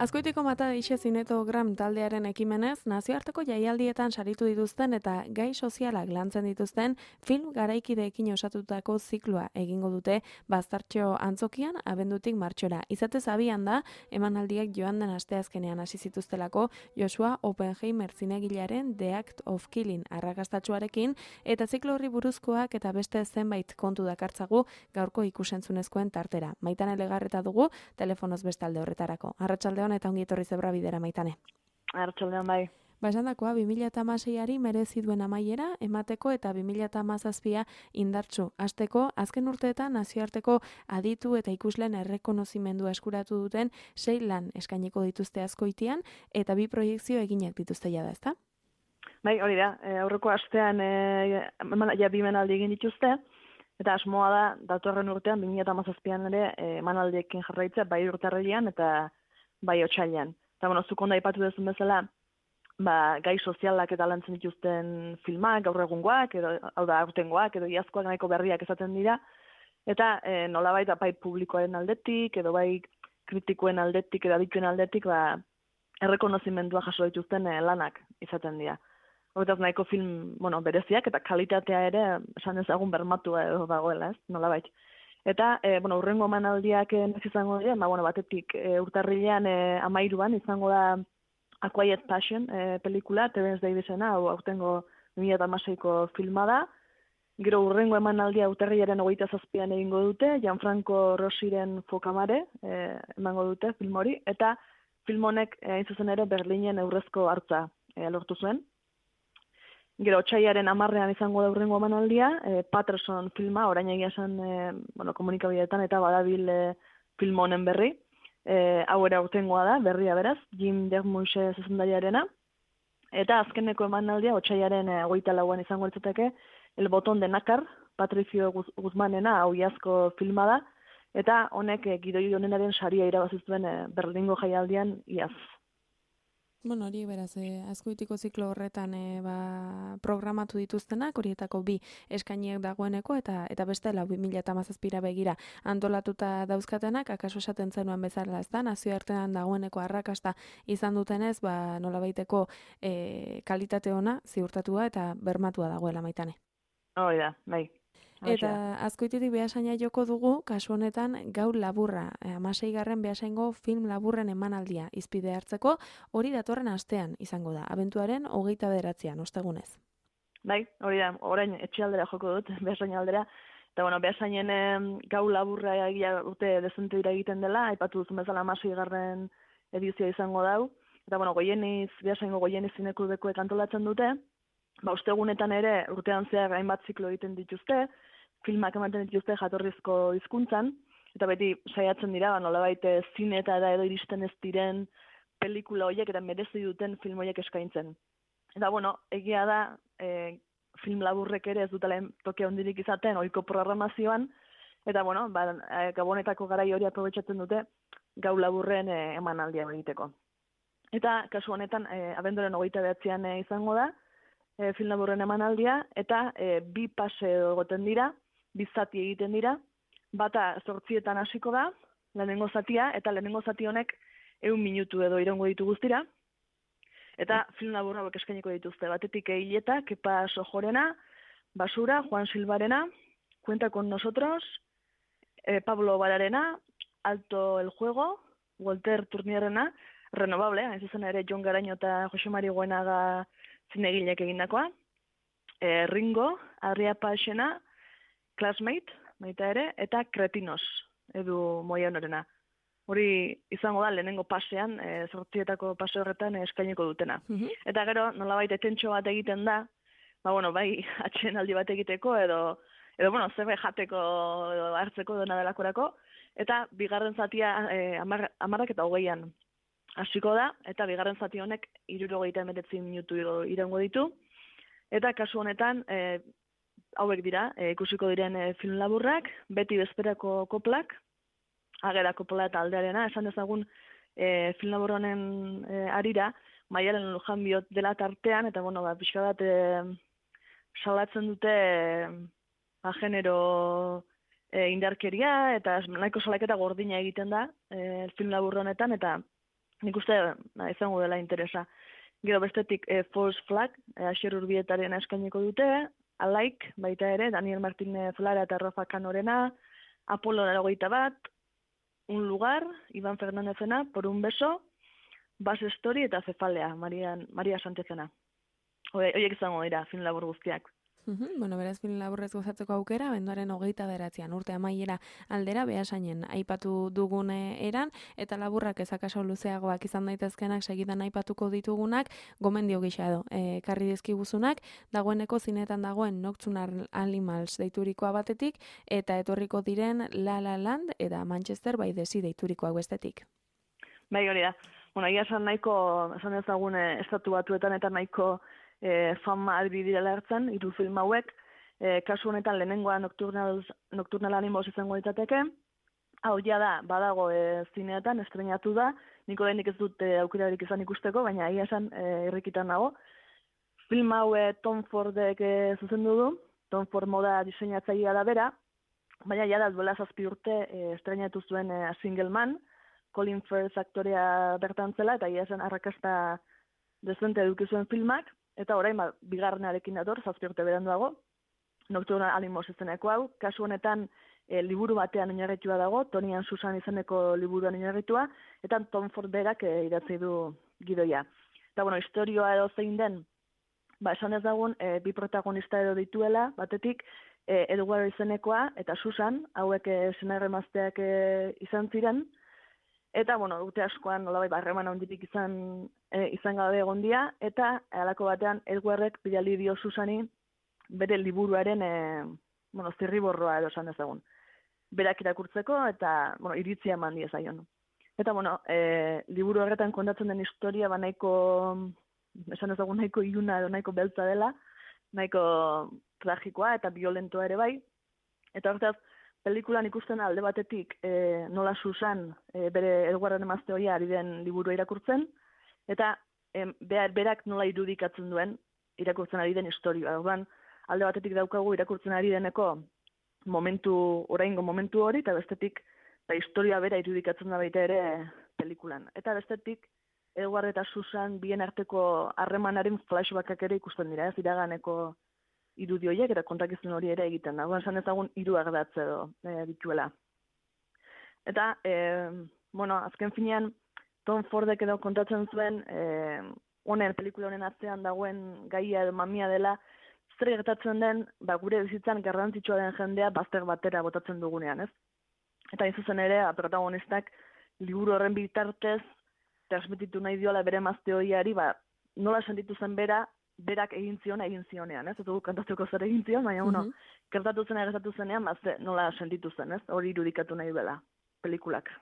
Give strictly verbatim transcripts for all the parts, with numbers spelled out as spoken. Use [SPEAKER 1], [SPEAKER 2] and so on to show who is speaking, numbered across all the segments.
[SPEAKER 1] Azkoitiko Mata Eixe Zinetogram taldearen ekimenez, nazioarteko jaialdietan saritu dituzten eta gai sozialak lantzen dituzten film garaikideekin osatutako zikloa egingo dute Baztartxo antzokian abendutik martxora. Izatez abian da, emanaldiak joan den asteazkenean hasi zituztelako Joshua Oppenheimer zinegilearen The Act of Killing arrakastatsuarekin eta ziklo horri buruzkoak eta beste zenbait kontu dakartzagu gaurko ikusentzunezkoen tartera. Maitane Legarreta dugu telefonoz bestalde horretarako. Arratsaldeon eta ongi etorri Zebra Bidera, Maitane.
[SPEAKER 2] Arratsaldeon bai.
[SPEAKER 1] Ba, esandakoa, bi mila hamaseiari merezi duen amaiera emateko eta bi mila hamazazpia indartsu hasteko azken urteetan nazioarteko aditu eta ikusleen errekonozimendua eskuratu duten sei lan eskainiko dituzte Azkoitian eta bi proiekzio eginak dituzte jada, ezta?
[SPEAKER 2] Bai, hori da. E, aurreko astean e, ja bi emanaldi egin dituzte eta asmoa da datorren urtean bi mila hamazazpian ere e, emanaldiekin jarraitzea bai urtarrilean eta bai otsailean. Eta bueno, zuk ondo aipatu duzun bezala, ba, gai sozialak eta lantzen dituzten filmak, gaur egungoak, edo hau da aurtengoak, edo iazkoak nahiko berriak esaten dira, eta e, nolabait bai publikoaren aldetik, edo bai kritikoen aldetik, edo adituen aldetik, ba, errekonozimendua jaso dituzten e, lanak izaten dira. Horretaz nahiko film, bueno, bereziak eta kalitatea ere, esan ezagun bermatua edo dagoela, ez, nolabait. Eta, e, bueno, urrengo emanaldiak ez izango dira, ba, bueno, batetik e, urtarrilean e, amairuan izango da A Quiet Passion e, pelikula, Terence Davisena, hau aurtengo bi mila hamaseiko filma da. Gero urrengo emanaldia urtarrilaren hogeita zazpian egingo dute, Gianfranco Rossiren Fokamare e, emango dute film hori, eta film honek e, hain zuzen ere Berlinen eurrezko hartza e, lortu zuen. Gero otsailaren hamarrean izango da urrengo emanaldia, e, Patterson filma, orain egia esan e, bueno, komunikabideetan eta badabil e, film honen berri. E, hau ere aurtengoa da, berria beraz, Jim Jarmusch zuzendariarena. Eta azkeneko emanaldia otsailaren e, hogeita lauan izango litzateke, El Botón de Nácar, Patricio Guzmanena, hau iazko filma da, eta honek e, gidoi honenaren saria irabazi zuen e, Berlingo jaialdian iaz.
[SPEAKER 1] Bueno, hori beraz, eh, Azkoitiko ziklo horretan eh, ba, programatu dituztenak, horietako bi eskainiek dagoeneko, eta eta beste lau bi mila hamazazpira begira antolatuta dauzkatenak, akaso esaten zenuen bezala, ez da, nazioartean dagoeneko arrakasta izan dutenez, ba, nolabaiteko eh, kalitate ona ziurtatua eta bermatua dagoela, Maitane.
[SPEAKER 2] Hori da, bai.
[SPEAKER 1] Eta Azkoititik behasaina joko dugu, kasu honetan gaur laburra, hamaseigarren behasaingo film laburren emanaldia izpide hartzeko, hori datorren astean izango da, abentuaren hogeita bederatzean, ostegunez.
[SPEAKER 2] Bai, hori da, orain etxealdera joko dut, behasaina aldera, eta bueno, behasainen gau laburra egia urte dezente dira egiten dela, aipatu duzun bezala hamaseigarren edizioa izango dau, eta bueno, goieniz, behasaingo goieniz zinekudekuek antolatzen dute, ba, ostegunetan ere urtean zehar hainbat ziklo egiten dituzte, filmak ematen dituzte jatorrizko hizkuntzan, eta beti saiatzen dira, ba, nolabait zinetara edo iristen ez diren pelikula horiek eta merezi duten film horiek eskaintzen. Eta bueno, egia da, e, film laburrek ere ez dutela tokia hondirik izaten, ohiko programazioan, eta bueno, ba, gabonetako garai hori aprobetxatzen dute gau laburren e, emanaldia egiteko. Eta kasu honetan, e, abenduaren hogeita behatzean e, izango da, e, film laburren emanaldia, eta e, bi pase egoten dira, bi zati egiten dira, bata zortzietan hasiko da, lehenengo zatia, eta lehenengo zati honek ehun minutu edo iraungo ditu guztira, eta film labur hauek eskainiko dituzte, batetik Hileta, Kepa Sojorena, Basura, Juan Silvarena, Cuenta con nosotros, eh, Pablo Bararena, Alto el juego, Walter Turnierrena, Renovable, hain zuzen ere Jon Garaño eta Jose Mari Goenaga zinegilek egindakoa, eh, Ringo, Arria Paxena, Classmate, baita ere, eta Kretinos, edu Moia Honorena. Hori izango da lehenengo pasean, e, zortzietako pase horretan eskainiko dutena. Mm-hmm. Eta gero, nolabait etentxo bat egiten da, ba, bueno, bai, atxen aldi bat egiteko, edo, edo bueno, zerbait jateko, edo hartzeko dena delakorako, eta bigarren zatia e, amar, amarrak eta hogeian hasiko da, eta bigarren zati honek hirurogeita hemeretzi minutu iraungo ditu, eta kasu honetan, e, hauek dira, e, ikusiko diren e, film laburrak, beti bezperako koplak, agera kopla eta aldearena, esan dezagun e, film labur honen e, arira, Maialen Lujanbiot dela tartean, eta bueno, ba, pixka bat e, salatzen dute e, ba, genero e, indarkeria, eta nahiko salaketa gordina egiten da e, film labur honetan, eta nik uste na, izango dela interesa. Gero bestetik e, False Flag, e, Asier Urbietaren eskainiko dute, Alaik, baita ere, Daniel Martínez Lara eta Rafa Canorena, Apolo Larogeita bat, Un lugar, Iban Fernandezena, Por un beso, Bas Story eta Cefalea, Maria, Maria Santezena. Horiek izango dira, film labur guztiak.
[SPEAKER 1] Uhum, bueno, beraz film laburrez gozatzeko aukera, benduaren hogeita beratzean urte amaiera aldera Beasainen aipatu dugune eran, eta laburrak ezakaso luzeagoak izan daitezkenak segidan aipatuko ditugunak, gomendio gisa edo, e, karri dizkiguzunak, dagoeneko zinetan dagoen Nocturnal Animals deiturikoa batetik, eta etorriko diren La La Land eta Manchester by the Sea deiturikoak bestetik.
[SPEAKER 2] Bai, hori da. Bueno, ia esan nahiko, esan ezagun estatu batuetan eta nahiko E, fama albi direla hartzen, hiru film hauek, e, kasu honetan lehenengoa Nocturnal, Nocturnal Animals izango ditateke, hau ja da, badago e, zineetan, estrenatu da, niko denik ez dut e, aukerarik izan ikusteko, baina ia esan e, irrikitan nago. Film hau e, Tom Fordek e, zuzendu du, Tom Ford moda diseinatzailea da bera, baina ja da duela zazpi urte e, estrenatu zuen e, Single Man, Colin Firth aktorea bertan zela, eta ia esan arrakasta dezente eduki zuen filmak, eta orain ba, bigarrenarekin dator, zazpi urte beranduago, Nocturnal Animals izeneko hau, kasu honetan e, liburu batean oinarritua dago, Tony and Susan izeneko liburuan oinarritua, eta Tom Ford berak e, idatzi du gidoia. Eta bueno, historioa edo zein den, ba, esan ez dagun, e, bi protagonista edo dituela, batetik, e, Edward izenekoa eta Susan, hauek e, senarremazteak e, izan ziren, eta, bueno, urte askoan nolabait barreman handirik izan e, izan gabe egon dira, eta halako batean Edwardek bidali dio Susani bere liburuaren e, bueno, zirriborroa edo esan dezagun. Berak irakurtzeko eta, bueno, iritzia eman diezaion. Eta, bueno, e, liburu horretan kontatzen den historia ba nahiko, esan dezagun nahiko iluna edo nahiko beltza dela, nahiko tragikoa eta violentoa ere bai. Eta horretaz, pelikulan ikusten alde batetik e, nola Susan e, bere Edwarden emazte horia ari den liburua irakurtzen, eta e, berak nola irudikatzen duen irakurtzen ari den historia. Orduan, alde batetik daukagu irakurtzen ari deneko momentu, oraingo momentu hori, eta bestetik da historia bera irudikatzen da baita ere pelikulan. Eta bestetik, Edward eta Susan bien arteko harremanaren flashbackak ere ikusten dira, ez iraganeko irudi horiek eta kontakizun hori ere egiten da. Guen esan ezagun hiru ardatz edo e, dituela. Eta, e, bueno, azken finean, Tom Fordek edo kontatzen zuen, e, honen, pelikula honen atzean dagoen gaia edo mamia dela, zer gertatzen den, ba, gure bizitzan garrantzitsua den jendea bazter batera botatzen dugunean, ez? Eta izuzen ere, protagonistak liburu horren bitartez, transmititu nahi diola bere emazte horiari, ba, nola sentitu zen bera, berak egin zion, egin zionean, ez? Ez dugu kantatzeko zer egin zion, baina, bueno, mm-hmm. gertatu zena, gertatu zenean, bazte, nola sentitu zen, ez? Hori irudikatu nahi dela, pelikulak.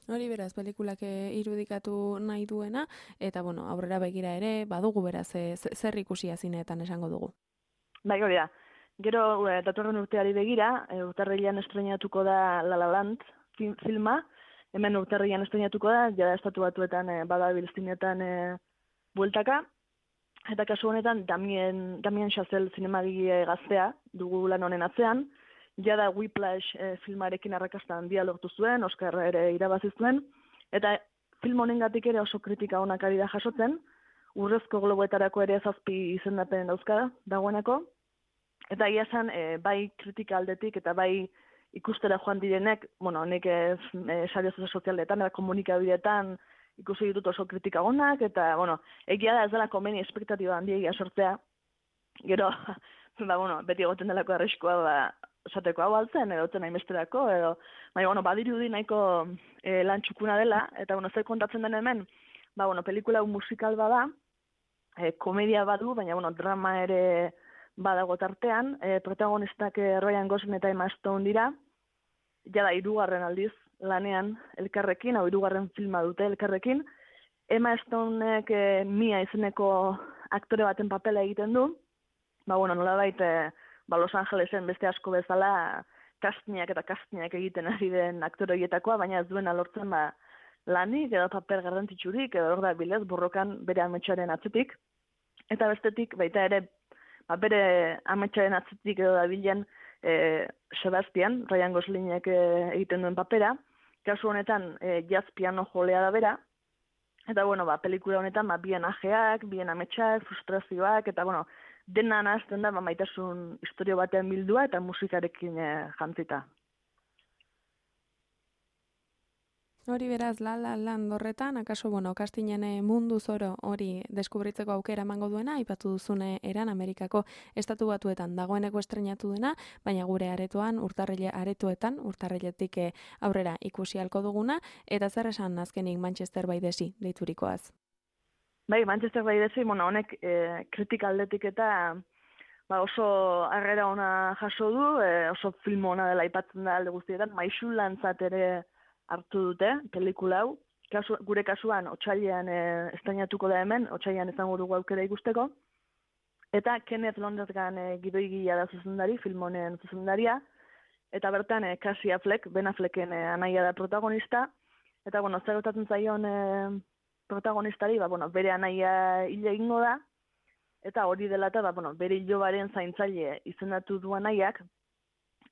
[SPEAKER 1] Hori beraz, pelikulak irudikatu nahi duena, eta, bueno, aurrera begira ere, badugu beraz, e, zer ikusia zineetan esango dugu.
[SPEAKER 2] Bai, hori da. Gero, e, datorren urteari begira, e, urtarrilean estrenatuko da La La Land filma, hemen urtarrilean estrenatuko da, jada estatu batuetan e, badabil zineetan e, bueltaka, eta kasu honetan Damien, Damien Chazelle zinemagile gaztea dugu lan honen atzean, jada Whiplash e, filmarekin arrakasta handia lortu zuen, Oscar ere irabazi zuen, eta film honengatik ere oso kritika onak ari da jasotzen, Urrezko Globoetarako ere zazpi izendapen dauzka dagoeneko, eta ia esan e, bai kritika aldetik eta bai ikustera joan direnek, bueno, nik ez e, sare sozialetan eta komunikabideetan ikusi ditut oso kritika onak, eta, bueno, egia da ez dela komeni espektatiba handiegia sortzea, gero, ba, bueno, beti egoten delako arriskua, ba, esateko hau altzen, edo zen hainbesterako, edo, bai, bueno, badirudi nahiko e, lan txukuna dela, eta, bueno, zer kontatzen den hemen, ba, bueno, pelikula musikal bada, e, komedia badu, baina, bueno, drama ere badago tartean, e, protagonistak e, Ryan Gosling eta Emma Stone dira, jada hirugarren aldiz lanean elkarrekin, hau hirugarren filma dute elkarrekin, Emma Stonek e, Mia izeneko aktore baten papela egiten du, ba, bueno, nolabait e, ba, Los Angelesen beste asko bezala kastinak eta kastinak egiten ari den aktore horietakoa, baina ez duena lortzen ba, lanik edo paper garrantzitsurik edo hor da bilez borrokan bere ametsaren atzetik. Eta bestetik baita ere ba, bere ametsaren atzetik edo da bilen e, Sebastian, Ryan Goslingek e, egiten duen papera. Kasu honetan e, jazz piano jolea da bera. Eta bueno, ba, pelikula honetan ba, bien ajeak, bien ametsak, frustrazioak, eta bueno, dena nahazten da ba, maitasun historio batean bildua eta musikarekin e, jantzita.
[SPEAKER 1] Hori beraz, La La Land horretan, akaso, bueno, kastinen mundu zoro hori deskubritzeko aukera emango duena, aipatu duzune eran Amerikako estatu batuetan dagoeneko estrenatu dena, baina gure aretoan, urtarrile aretoetan, urtarriletik aurrera ikusi halko duguna, eta zer esan azkenik Manchester by the Sea deiturikoaz?
[SPEAKER 2] Bai, Manchester by the Sea, bueno, honek e, kritika aldetik eta ba, oso harrera ona jaso du, e, oso film ona dela aipatzen da alde guztietan, Maixu lantzat ere hartu dute, pelikula hau. Kasu, gure kasuan, otsailean e, estrainatuko da hemen, otsailean izango dugu aukera ikusteko. Eta Kenneth Lonergan e, gidoigilea da zuzendari, film honen zuzendaria. Eta bertan, e, Cassie Affleck, Ben Afflecken e, anaia da protagonista. Eta, bueno, zer gertatzen zaion e, protagonistari, ba, bueno, bere anaia hil egingo da. Eta hori dela eta, ba, bueno, bere hilobaren zaintzaile izendatu du anaiak.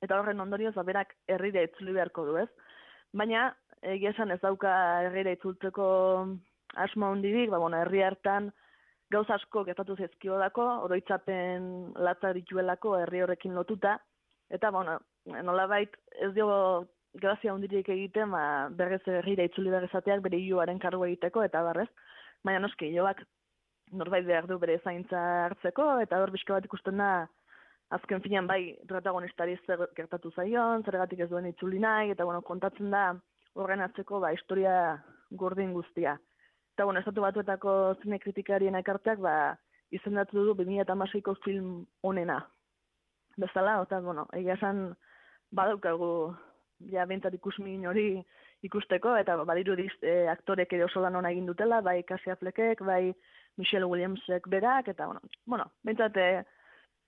[SPEAKER 2] Eta horren ondorioz, ba, berak herrira itzuli beharko du, ez? Baina, egia esan ez dauka herrira itzultzeko asmo handirik, ba, bueno, herri hartan gauza asko gertatu zaizkio dako, oroitzapen latza dituelako herri horrekin lotuta, eta, bueno, nolabait ez dio grazia handirik egiten, ba, berrez herrira itzuli berrezateak bere hiloaren kargu egiteko, eta barrez, baina noski, hilobak norbait behar du bere zaintza hartzeko, eta hor bizka bat ikusten da, azken finean bai protagonistari zer gertatu zaion, zergatik ez duen itzuli nahi, eta bueno, kontatzen da horren atzeko ba, historia gordin guztia. Eta bueno, estatu batuetako zine kritikarien ekarteak ba, izendatu du bi mila hamaseiko film onena. Bezala, eta bueno, egia esan badaukagu ja bentsat ikusmin hori ikusteko, eta badirudi e, aktorek ere oso lan ona egin dutela, bai Cassie Affleckek, bai Michelle Williamsek berak, eta bueno, bueno bentsat e,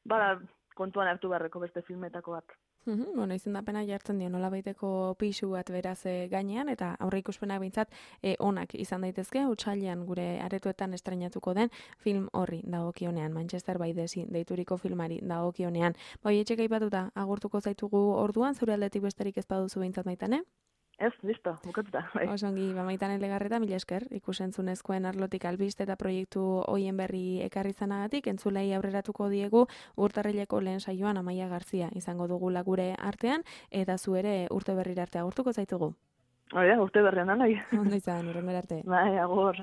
[SPEAKER 2] bada kontuan hartu beharreko beste filmetako bat.
[SPEAKER 1] Uhum, bueno, izendapena jartzen dio nolabaiteko pisu bat beraz e, gainean, eta aurre ikuspenak behintzat e, onak izan daitezke, otsailean gure aretoetan estreinatuko den film horri dagokionean, Manchester by the Sea deituriko filmari dagokionean. Bai, etxeka aipatuta agurtuko zaitugu orduan, zure aldetik besterik ez baduzu behintzat Maitane?
[SPEAKER 2] Ez, listo, bukatuta. Bai.
[SPEAKER 1] Osongi, ba, Maitane Legarreta, mila esker, ikusentzunezkoen arlotik albiste eta proiektu hoien berri ekarri zanagatik, entzulei aurreratuko diegu urtarrileko lehen saioan Amaia Garzia izango dugula gure artean, eta zu ere urte berri arte agurtuko zaitugu.
[SPEAKER 2] Hori da, urte berrian, anoi.
[SPEAKER 1] Ondo izan, urren arte.
[SPEAKER 2] Bai, agur.